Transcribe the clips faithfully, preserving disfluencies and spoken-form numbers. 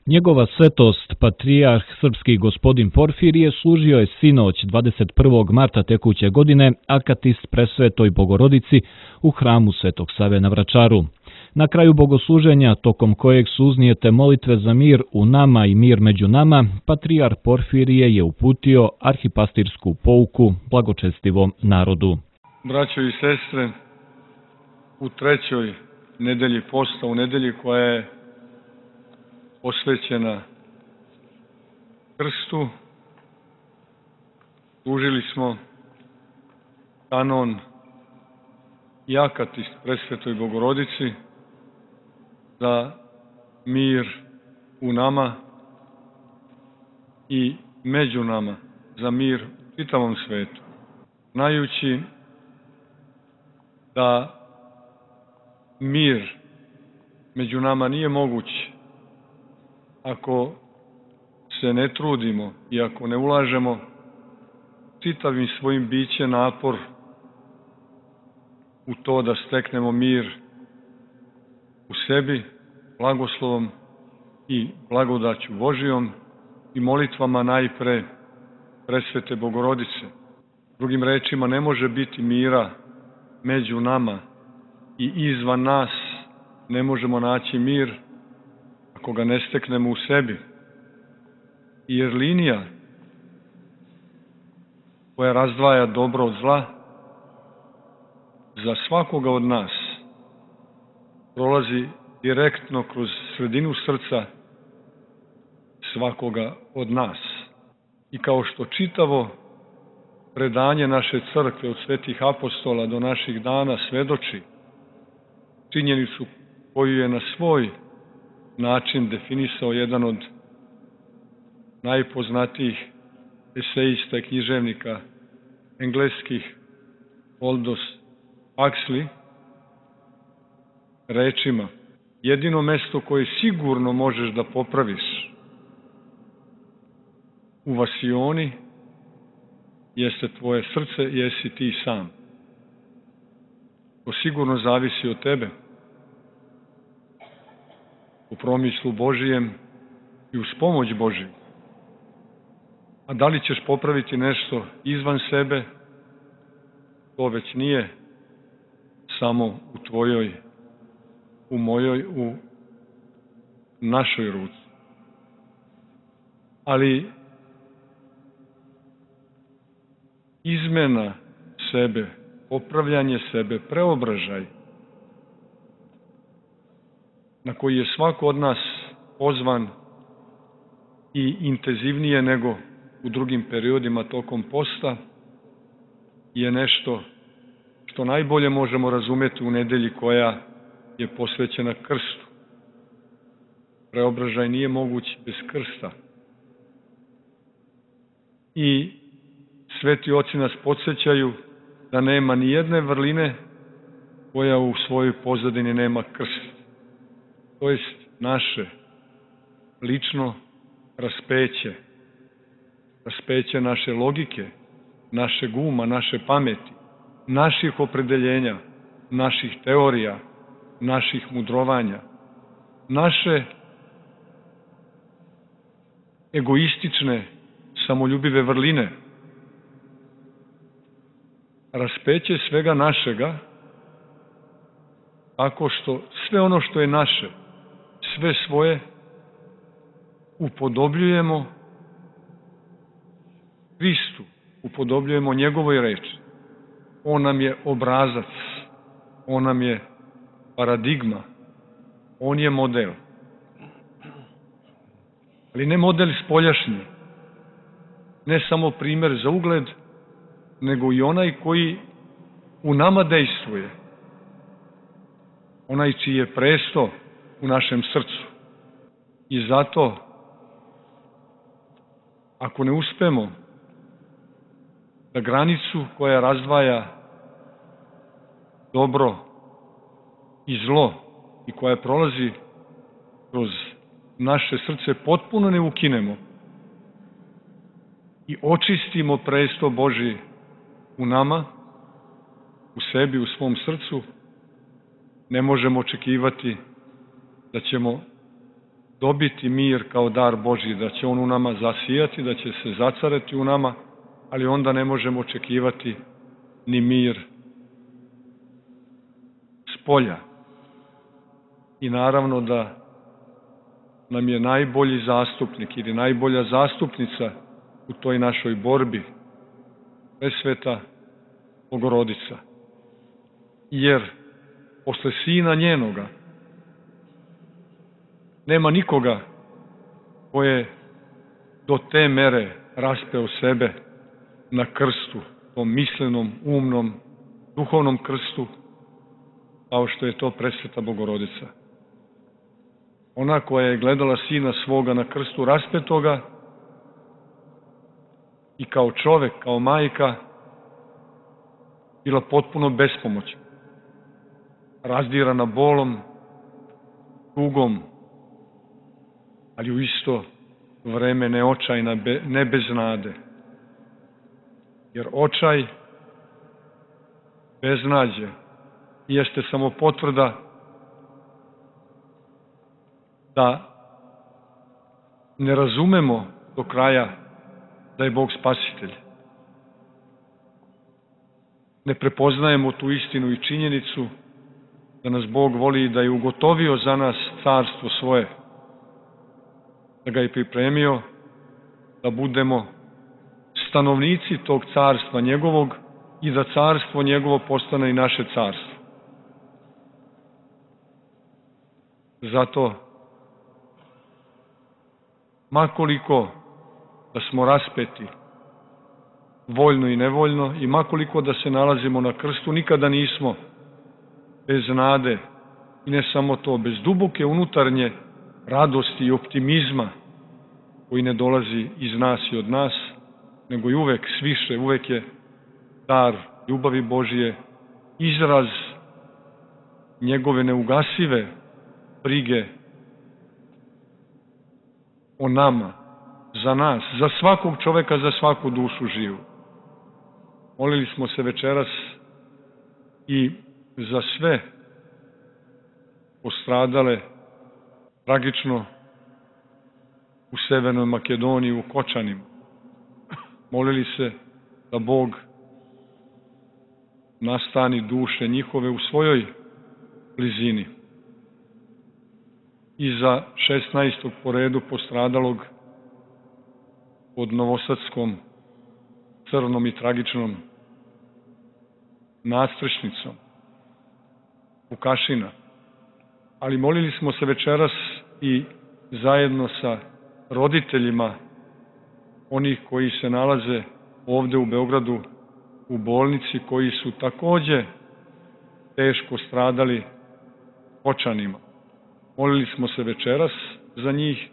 Njegova svetost, patrijarh srpski gospodin Porfirije, služio je sinoć dvadeset prvog marta tekuće godine akatist presvetoj Bogorodici u hramu Svetog Save na Vračaru. Na kraju bogosluženja, tokom kojeg su uznijete molitve za mir u nama i mir među nama, patrijarh Porfirije je uputio arhipastirsku pouku blagočestivom narodu. Braćo i sestre, u trećoj nedelji posta, u nedelji koja je posvećena krstu, služili smo kanon i akatist presvetoj Bogorodici za mir u nama i među nama, za mir u čitavom svetu, znajući da mir među nama nije moguć ako se ne trudimo i ako ne ulažemo čitavim svojim bićem napor u to da steknemo mir u sebi, blagoslovom i blagodaću Božijom i molitvama najpre presvete Bogorodice. Drugim rečima, ne može biti mira među nama i izvan nas, ne možemo naći mir ako ga ne steknemo u sebi. Jer linija koja razdvaja dobro od zla za svakoga od nas prolazi direktno kroz sredinu srca svakoga od nas. I kao što čitavo predanje naše crkve od svetih apostola do naših dana svedoči činjenicu koju je na svoj način definisao jedan od najpoznatijih esejista i književnika engleskih, Aldous Huxley, rečima: jedino mesto koje sigurno možeš da popraviš u vasioni jeste tvoje srce, jesi ti sam. To sigurno zavisi od tebe, u promislu Božijem i uz pomoć Božiju. A da li ćeš popraviti nešto izvan sebe, to već nije samo u tvojoj, u mojoj, u našoj ruci. Ali izmena sebe, popravljanje sebe, preobražaj na koji je svako od nas pozvan i intenzivnije nego u drugim periodima tokom posta, je nešto što najbolje možemo razumeti u nedelji koja je posvećena krstu. Preobražaj nije moguć bez krsta. I sveti oci nas podsjećaju da nema ni jedne vrline koja u svojoj pozadini nema krst. To jest naše lično raspeće, raspeće naše logike, našeg uma, naše pameti, naših opredeljenja, naših teorija, naših mudrovanja, naše egoistične, samoljubive vrline, raspeće svega našega, tako što sve ono što je naše, sve svoje, upodobljujemo Hristu, upodobljujemo njegovoj reči. On nam je obrazac, on nam je paradigma, on je model. Ali ne model spoljašnji, ne samo primer za ugled, nego i onaj koji u nama dejstvuje, onaj čiji je presto u našem srcu. I zato, ako ne uspemo da granicu koja razdvaja dobro i zlo i koja prolazi kroz naše srce potpuno ne ukinemo i očistimo presto Božji u nama, u sebi, u svom srcu, ne možemo očekivati da ćemo dobiti mir kao dar Božji, da će on u nama zasijati, da će se zacarati u nama, ali onda ne možemo očekivati ni mir s polja. I naravno da nam je najbolji zastupnik ili najbolja zastupnica u toj našoj borbi Presveta Bogorodica. Jer posle sina njenoga nema nikoga ko je do te mere raspeo sebe na krstu, tom mislenom, umnom, duhovnom krstu, kao što je to Presveta Bogorodica. Ona koja je gledala sina svoga na krstu raspetoga i kao čovek, kao majka, bila potpuno bespomoćna, razdirana bolom, tugom, ali u isto vreme ne očajna, ne bez nade. Jer očaj, beznađe, jeste samo potvrda da ne razumemo do kraja da je Bog spasitelj. Ne prepoznajemo tu istinu i činjenicu da nas Bog voli i da je ugotovio za nas carstvo svoje, da ga je pripremio da budemo stanovnici tog carstva njegovog i da carstvo njegovo postane i naše carstvo. Zato, makoliko da smo raspeti, voljno i nevoljno, i makoliko da se nalazimo na krstu, nikada nismo bez nade, i ne samo to, bez duboke unutarnje radosti i optimizma koji ne dolazi iz nas i od nas, nego i uvek sviše, uvek je dar ljubavi Božije, izraz njegove neugasive brige o nama, za nas, za svakog čoveka, za svaku dušu živu. Molili smo se večeras i za sve postradale tragično u Severnoj Makedoniji, u Kočanima. Molili se da Bog nastani duše njihove u svojoj blizini. I za šesnaestog po redu postradalog pod Novosadskom crnom i tragičnom nadstrešnicom Vukašina. Ali molili smo se večeras i zajedno sa roditeljima onih koji se nalaze ovde u Beogradu u bolnici, koji su takođe teško stradali Kočanima. Molili smo se večeras za njih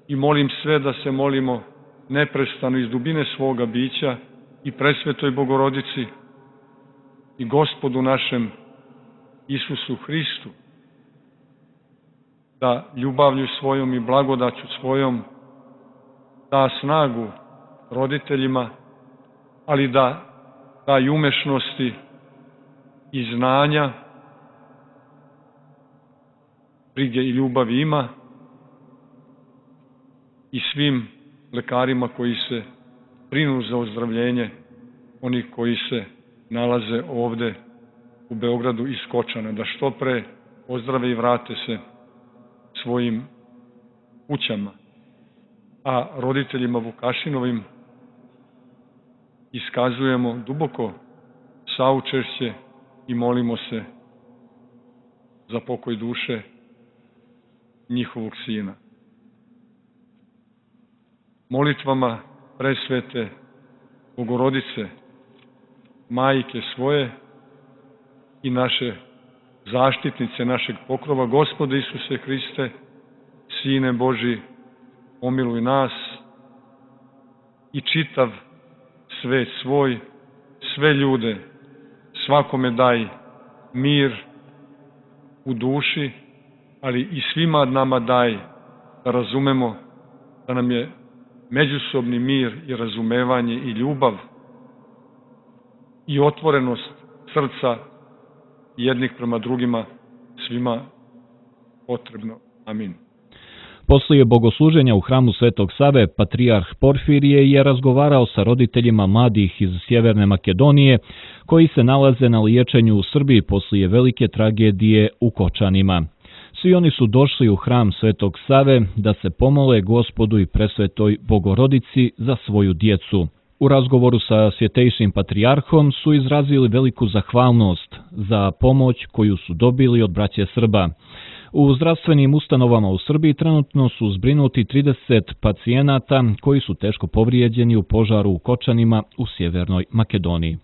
i molim sve da se molimo neprestano iz dubine svoga bića i Presvetoj Bogorodici i Gospodu našem Isusu Hristu, da ljubavlju svojom i blagodaću svojom da snagu roditeljima, ali da daj umešnosti i znanja, brige i ljubavi ima i svim lekarima koji se brinu za ozdravljenje onih koji se nalaze ovde u Beogradu iz Kočana, da što pre ozdrave i vrate se svojim kućama. A roditeljima Vukašinovim iskazujemo duboko saučešće i molimo se za pokoj duše njihovog sina. Molitvama Presvete Bogorodice, majke svoje i naše zaštitnice, našeg pokrova, Gospode Isuse Hriste, Sine Boži, pomiluj nas i čitav svet svoj, sve ljude, svakome daj mir u duši, ali i svima nama daj da razumemo da nam je međusobni mir i razumevanje i ljubav i otvorenost srca jednih prema drugima svima potrebno. Amin. Poslije bogosluženja u hramu Svetog Save, patrijarh Porfirije je razgovarao sa roditeljima mladih iz Sjeverne Makedonije koji se nalaze na liječenju u Srbiji poslije velike tragedije u Kočanima. Svi oni su došli u hram Svetog Save da se pomole Gospodu i Presvetoj Bogorodici za svoju djecu. U razgovoru sa svjetejšim patrijarhom su izrazili veliku zahvalnost za pomoć koju su dobili od braće Srba. U zdravstvenim ustanovama u Srbiji trenutno su zbrinuti trideset pacijenata koji su teško povrijeđeni u požaru u Kočanima u Sjevernoj Makedoniji.